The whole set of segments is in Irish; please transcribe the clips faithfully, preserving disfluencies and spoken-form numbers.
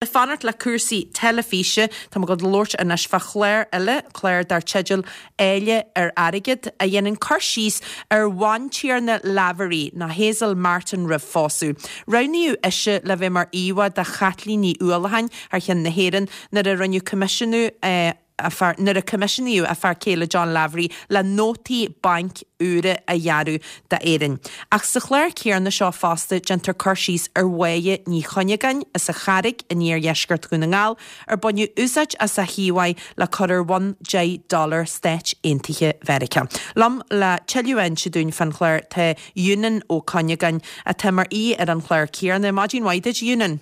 Fanacht le cúrsaí teilifíse tá muid ag labhairt anois fá chlár eile clár dar teideal Áille ar Airgead a dhéanann cur síos ar bhantiarna Lavery ná Hazel Martin roimh phósadh. Roghnaíodh ise le bheith mar íomhá de Chaitlín Ní Uallacháin thar cheann na hÉireann nuair a rinneadh coimisiúnú eh, nuair a coimisiúnaíodh a fear céile John Lavery le nótaí bainc úra a dhearadh d'Éirinn. Ach sa chlár céanna seo fosta déantar cur síos ar Mháire Ní Chuinneagáin as an Charraig in iardheisceart Dhún na nGall ar baineadh úsáid as a híomhá le cur ar bhonn deich dollar Stáit Aontaithe Mheiriceá. Liom le tuilleadh a inse dúinn fán chlár tá Eunan Ó Cuinneagáin atá mar aoi ar an chlár céanna. Maidin mhaith duit Eunan.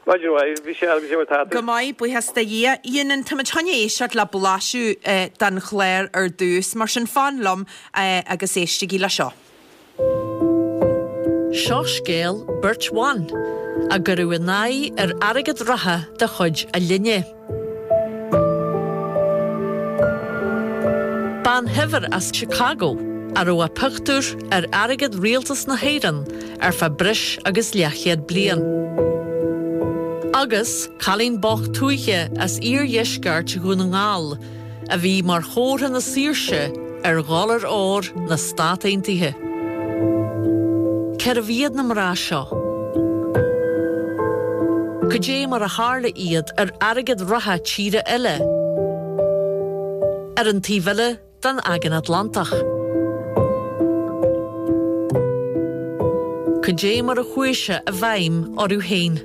Maidin mhaith bhí sé agus mar Go maith buíochas do Dhia. Eunan tá chun éisteacht le blaiseadh eh, den chlár ar dtús, mar sin fan liom eh, agus éistigí le seo. Seo scéal beirt bhan a cuireadh a n-aghaidh ar airgead reatha de chuid a linne. Bean shaibhir as Chicago a raibh a pictiúr ar airgead rialtas na hÉireann ar feadh breis agus leathchéad bliain. Agus cailín bocht tuaithe as iardheisceart Dhún na nGall a bhí mar chomhartha na saoirse ar dhollar óir na Stát Aontaithe. Cérbh iad na mná seo. Cad é mar a tharla iad ar airgead reatha tíre eile. Ar an taobh eile den Aigéan Atlantach. Cad é mar a chuaigh sé i bhfeidhm orthu féin.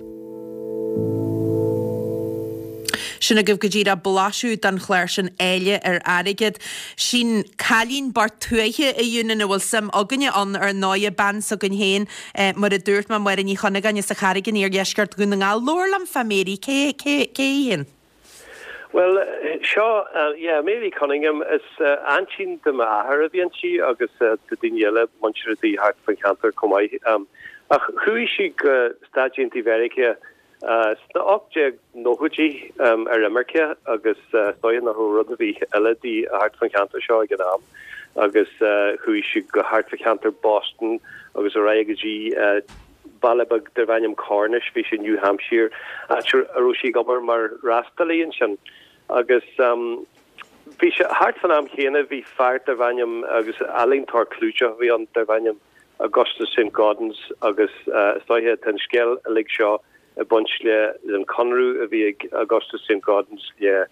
Sin agaibh go díreach blaiseadh den chlár sin Áille ar Airgead. Sin cailín bocht tuaithe a Eunan a bhfuil suim againne ann ar ndóigh bean s'againn féin eh, mar a dúirt mé Máire Ní Chuinneagáin as an Charraig in iardheisceart Dhún na nGall. Labhair liom fá Mary cé cé cé hí? Well seo uh, yeah, Mary Cunningham is uh, aintín do m'athair a bhí inti agus uh, do daoine eile muintir di thart fan cheantar chomh maith. Um, ach chuaigh sí go Stáit Aontaithe Mheiriceá uh, sna ocht déag nóchaidí um, ar imirce agus uh, stoin nach rud a bhí eile di thart fan cheantar seo ag an am agus uh, chuaigh sí go thart fan cheantar Boston agus ar aghaidh go dtí uh, baile beag darb ainm Cornish bhí sin New Hampshire a raibh sí ag obair mar fhreastalaí ansin agus um, bhí sé thart fan am chéanna bhí fear darb ainm agus ealaíontóir clúiteach bhí ann darb ainm Augustus St. Gaudens agus uh, is dóiche an scéal uilig seo ag baint le an conradh a bhí ag Augustus St. Gaudens le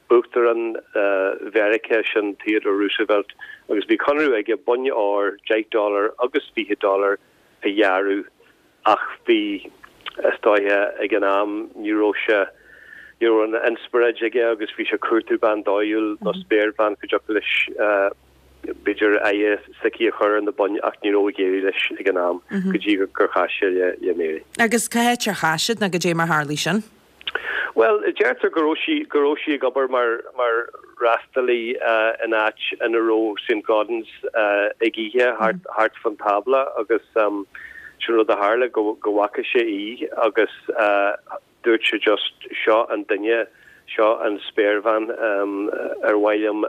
Uachtarán uh, Mheiriceá sin Theodore Roosevelt agus bhí conradh aige boinn óir deich dollar agus fiche dollar a dhearadh ach bhí is dóiche ag an am ní raibh sé ní raibh an inspioráid aige agus bhí sé ag cuartú bean dóighiúil nó spéirbhean go dtiocfadh leis uh, b'fhéidir aghaidh s'aici a chur ar na boinn ach ní raibh ag éirí leis ag an am go dtí gur chas sé le le Mary. Agus cá háit ar chas siad nó cad é mar tharla sin? Well, deirtear go raibh sí go raibh sí ag obair mar mar fhreastalaí uh, in áit ina raibh St. Gaudens uh, ag ithe thart thart fan tábla agus um, sin rud a tharla go go bhfaca sé í agus uh, dúirt sé just seo an duine seo an spéirbhean um, ar mhaith liom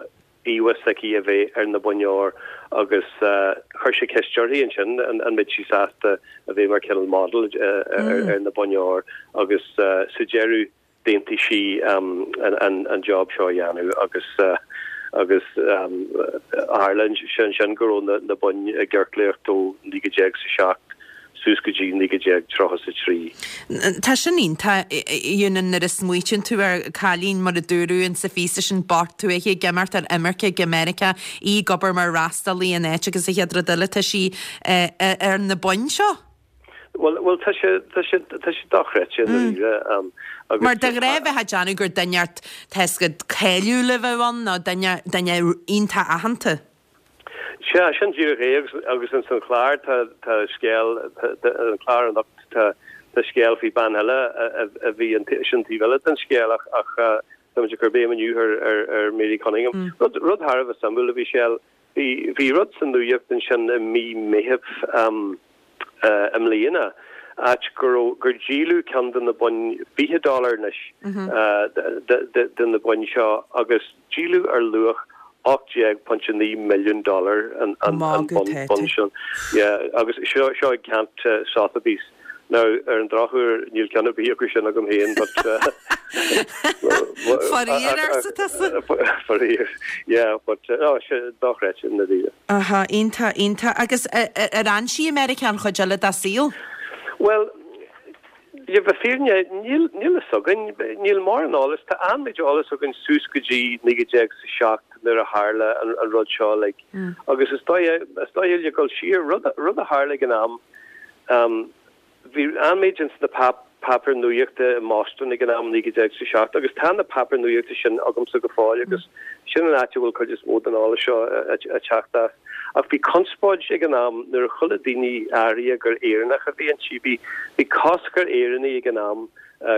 íomhá s'aici a bheith ar na boinn óir agus uh, chuir sé ceist uirthi ansin an, an mbeadh sí sásta a bheith mar cineál model uh, ar, ar na boinn óir agus uh, sa deireadh d'aontaigh sí um, an, an, an job seo a dhéanamh agus uh, agus um, tharla sin sin go raibh na, na boinn i gciorclaíocht ó naoi déag sa seacht suas go dtí naoi déag tríocha sa trí. Tá sin iontach Eunan nuair a smaoitíonn tú ar cailín mar a dúradh in sa phíosa sin bocht tuaithe ag imeacht ar imirce go Meiriceá í ag obair mar fhreastalaí in áit agus a chéad rud eile tá sí eh, ar na boinn seo? Well well tá sé tá sé tá sé dochreidte um, agus Mar de ghnáth bheifeá ag déanamh gur duine inteacht cáiliúil a bheadh ann nó duine duine iontach aitheanta. Sea sin díreach é agus agus in san chlár tá tá scéal an chlár anocht tá tá scéal faoi bean eile a bhí an sin taobh eile den scéal ach ach tá ag cur béim inniu ar ar ar Mary Cunningham. Mm. Rud rud thar a bheith suimiúil a bhí sé bhí bhí rud san nuacht ansin i mí Mheithimh um, uh, i mbliana áit gur gur díoladh ceann de na boinn fiche dollar anois mm -hmm. uh, de, de na boinn seo agus díoladh ar luach ocht déag pointe naoi milliún dollar an an an bonn sin. Yeah, agus seo seo ag ceant uh, Sotheby's Now, ar an drochuair, níl ceann ar bith acu sin agam féin, but Faraor, arsa tusa? Faraor, yeah, but no, sé dochreidte i ndáiríre. Aha, iontach, iontach. Agus ar fhan sí i Meiriceá an chuid eile dá saol? Well, le bheith fírinne, níl níl fhios againn, níl mórán eolas, tá an-méid eolas againn suas go dtí naoi déag is a seacht nuair a tharla an an rud seo, like, agus is dóigh, is dóigh le dhul siar, rud rud a tharla ag an am, um, bhí an-méid ins na páipéir nuachta i mBoston ag an am naoi déag is a seacht agus tá na páipéir nuachta sin agamsa go fóill agus sin an áit a bhfuil cuid is mó den eolas seo ag teacht as. Ach bhí conspóid ag an am nuair a chuala daoine áirithe gur Éireannach a bhí inti. Bhí bhí cosc ar Éireannaigh ag an am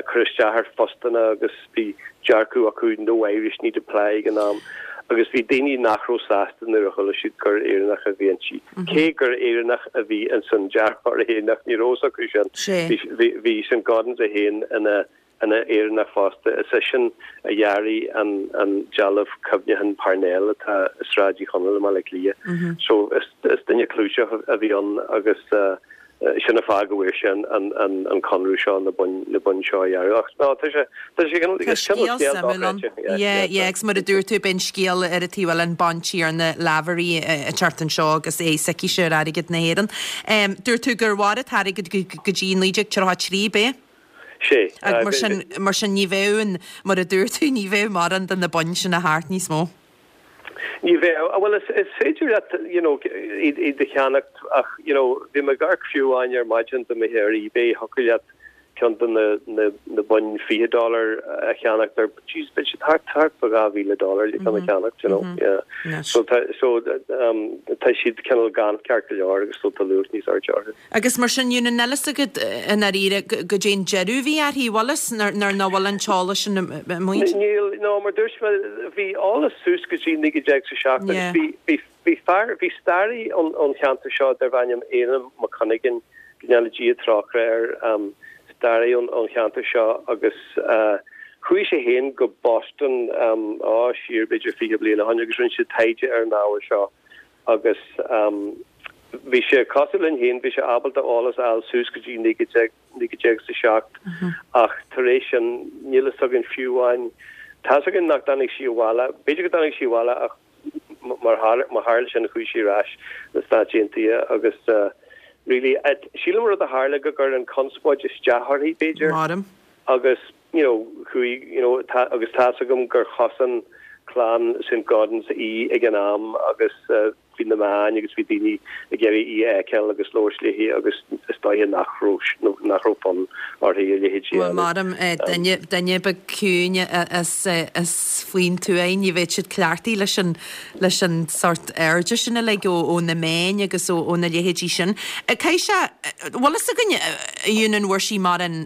cur isteach ar phostanna agus bhí dearcadh acu no Irish need apply ag an am agus bhí daoine nach raibh sásta nuair a chuala siad gur Éireannach a bhí inti. Cé gur Éireannach a bhí ins an deartháir Éireannach, ní raibh fhios acu sin. Bhí bhí Saint-Gaudens é féin ina ina Éireannach fosta. Is eisean a dhearaigh an an dealbh cuimhneacháin Parnell atá i Sráid Uí Chonaill i mBaile Átha Cliath. So is is duine clúiteach a bhí ann agus sin an fáth go bhfuair sé an an an conradh seo na boinn na boinn seo a dhearadh. Ach no, tá sé tá sé cineál Tá cineál scéal scéal suimiúil ann. dochreidte. Yeah, Yeah, yeah, yeah, agus mar a dúirt tú, beidh an scéal ar an taobh eile, an Bantiarna Lavery ag teacht anseo agus é s'aici ar airgead na hÉireann. Um, dúirt tú gur mhair an t-airgead go go dtí naoi déag tríocha a trí, b'é? Sé. Ag mar sin mar sin ní bheadh an mar a dúirt tú ní bheadh mórán de na boinn sin a thart níos mó. Ní bheadh, bhuel is is féidir leat you know iad iad a cheannacht ach you know bhí mé ag amharc fiú amháin ar maidin do mé ar eBay thiocfadh leat ceann de na na na boinn fiche dollar a cheannacht ar jeez beidh siad thart thart fá dhá mhíle dollar le ceann a cheannacht you know yeah. Anois. So tá so um tá siad cineál gann ceart go leor agus so tá luach níos airde orthu. Agus mar sin Eunan níl fhios agat i ndáiríre goidé an deireadh a bhí uirthi, bhfuil fhios nuair nach bhfuil an t-eolas sin amuigh. Níl no mar dúirt mé bhí eolas suas go dtí naoi déag is a seacht agus Yeah. bhí bhí bhí fear bhí staraí ón ón cheantar seo darbh ainm Éanna Mac Cuinneagáin go ndéana Dia trócaire air um, staraí ón ón cheantar seo agus uh, chuaigh sé féin go Boston um, á siar b'fhéidir fiche bliain ó shin agus rinne sé taighde ar an ábhar seo agus um, bhí sé cosúil linn féin bhí sé ábalta eolas a fháil suas go dtí naoi déag naoi déag is a seacht ach tar éis sin níl fhios againn fiú amháin tá fhios againn nach dtáinig sí abhaile b'fhéidir go dtáinig sí abhaile ach m- mar tharla mar tharla sin chuaigh sí ar ais na Stáit Aontaithe agus uh, really et, sílim rud a tharla go gcuir an conspóid isteach uirthi b'fhéidir Maram. agus you know chuaigh you know tá agus tá fhios agam gur chosain clann Saint-Gaudens í ag an am agus uh, bhí na meáin agus bhí daoine ag iarraidh í a fheiceáil agus labhairt léi agus is dóigh nach raibh nach raibh fonn uirthi a leithéid Well maram eh, duine duine beag ciúin is eh, is faoin tuath ní bheadh siad cleachtaithe leis an leis an sort airde sin uilig ó ó na meáin agus ó ó na leithéidí sin. Eh, Caithfidh sé bhfuil fhios againn Eunan bhfuair sí mórán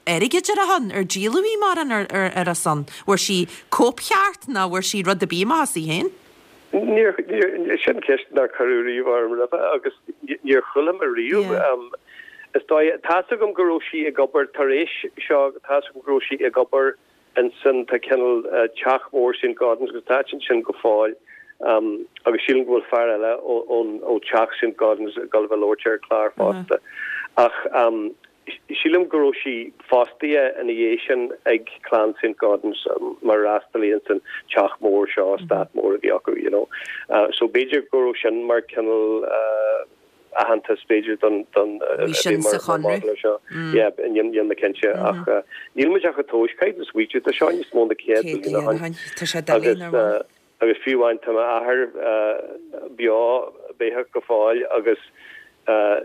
airgid ar a shon ar díoladh í mórán ar ar ar a son. Bhfuair sí cóipcheart ná bhfuair sí rud ar bith amach as í féin? Níor níor sin ceist nár cuireadh riamh orm roimhe agus níor chuala mé riamh. Yeah. Um, is dóigh tá fhios agam go raibh sí ag obair tar éis seo tá fhios agam go raibh sí ag obair ansin tá cineál uh, teach mór Saint-Gaudens agus tá sin sin go fóill. Um, agus sílim go bhfuil fear eile ó ón ó teach Saint-Gaudens ag dul a bheith labhairt ar chlár fosta. Ach um, sílim go raibh sí fostaithe ina dhiaidh sin ag clann Saint-Gaudens um, mar fhreastalaí san teach mór seo eastát mór a bhí acu you know. Uh, so b'fhéidir go raibh sin mar cineál uh, aitheantas b'fhéidir don don uh, Bhí sin sa chonradh. seo. Yeah, níl níl mé cinnte ach uh, níl muid ach ag tomhas caithfidh tú smaoitiú tá seo níos mó ná céad Céad bliain ó bliain ó shin. shin. Tá sé doiligh agus nach bhfuil. uh, agus fiú amháin tá m'athair uh, beo beathach go fóill agus uh,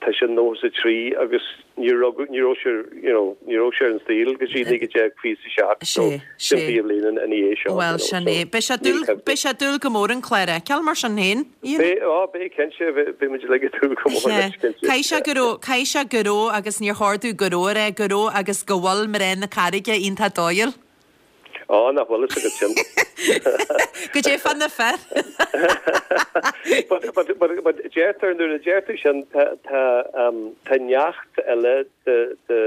tá sé nócha a trí agus ní raibh ní raibh sé you know ní raibh sé ar an saol go dtí naoi déag fiche a seacht so Sé, sin sé. fiche bliain ina dhiaidh seo. Well you know, sin so é. Beidh sé níl dúil cuimhne. beidh sé dúil go mór an clár a fheiceáil mar sin féin. Ian? Beidh á beidh cinnte beidh muid uilig ag dúil go mór leis cinnte. Caithfidh sé go raibh caithfidh sé go raibh agus níor chóir dom go raibh a rá go raibh agus go bhfuil mná na Carraige iontach dóighiúil. Á nach bhfuil fhios agat sin. Goidé fá na fir. But but but but deirtear nuair a deir tú sin tá tá um, tá neacht eile de de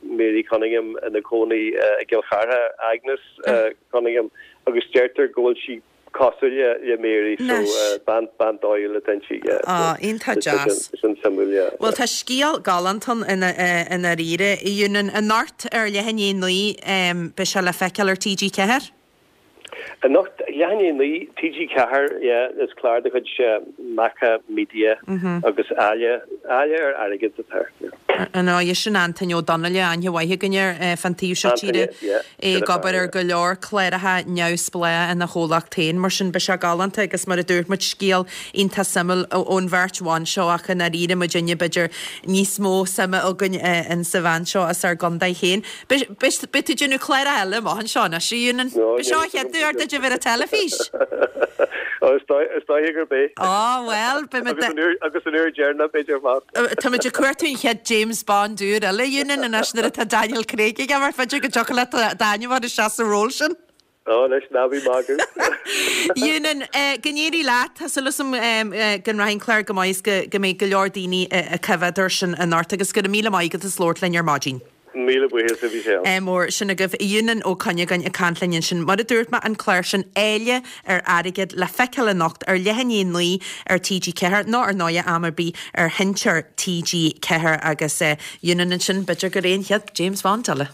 Mary Cunningham ina cónaí uh, i gCill Chartha Agnes uh, Cunningham agus deirtear go bhfuil sí cosúil le le Mary so bean bean dóighiúil atá inti yeah. Á, iontach deas. Sin suimiúil yeah. Bhuel tá scéal galánta ann i ndáiríre, a Eunan. Anocht ar leath i ndiaidh a naoi beidh sé le feiceáil ar T G Ceathair? Anocht, leath i ndiaidh a naoi, T G Ceathair, yeah, is clár de chuid Macha Media agus Áille, Áille ar Airgead atá air, yeah. Ar ndóigh, sin Antaine Ó Donnaile, aithne mhaith againn air fán taobh seo tíre, é ag obair ar go leor cláracha neamhspleách ina chomhlacht féin, mar sin beidh sé galánta agus mar a dúirt muid, scéal iontach suimiúil ón bheirt bhan seo ach i ndáiríre muidinne b'fhéidir níos mó suime againn in sa bhean seo as ár gcontae féin. Beidh tú ag déanamh cláracha eile amach anseo anois, a Eunan. B'é seo an chéad uair duit a bheith ar an teilifís. Ó, is dóiche gurb é. Ó, bhuel, beidh muid. Agus an uair dheireanach, b'fhéidir, fosta. Tá muid ag cuartú an chéad James Bond úr eile, a Eunan, anois nuair atá Daniel Craig ag imirt, b'fhéidir go dtiocfadh leat d'ainm a chur isteach sa ról sin. Ó, anois, ná bí ag magadh. Eunan, go n-éirí leat. Tá súil agam go rachaidh an clár go maith is go mbeidh go leor daoine ag coimhéad air sin anocht agus go raibh míle maith agat as labhairt linn ar maidin. Míle buíochas a Mhichelle. Mór sin agaibh. Eunan Ó Cuinneagáin ag caint linn ansin. Mar a dúirt mé, an clár sin, Áille ar Airgead, le feiceáil anocht ar leath i ndiaidh a naoi ar T G Ceathair, nó ar ndóighe am ar bith ar sheinnteoir T G Ceathair agus Eunan ansin, b'fhéidir gur é an chéad James Bond eile.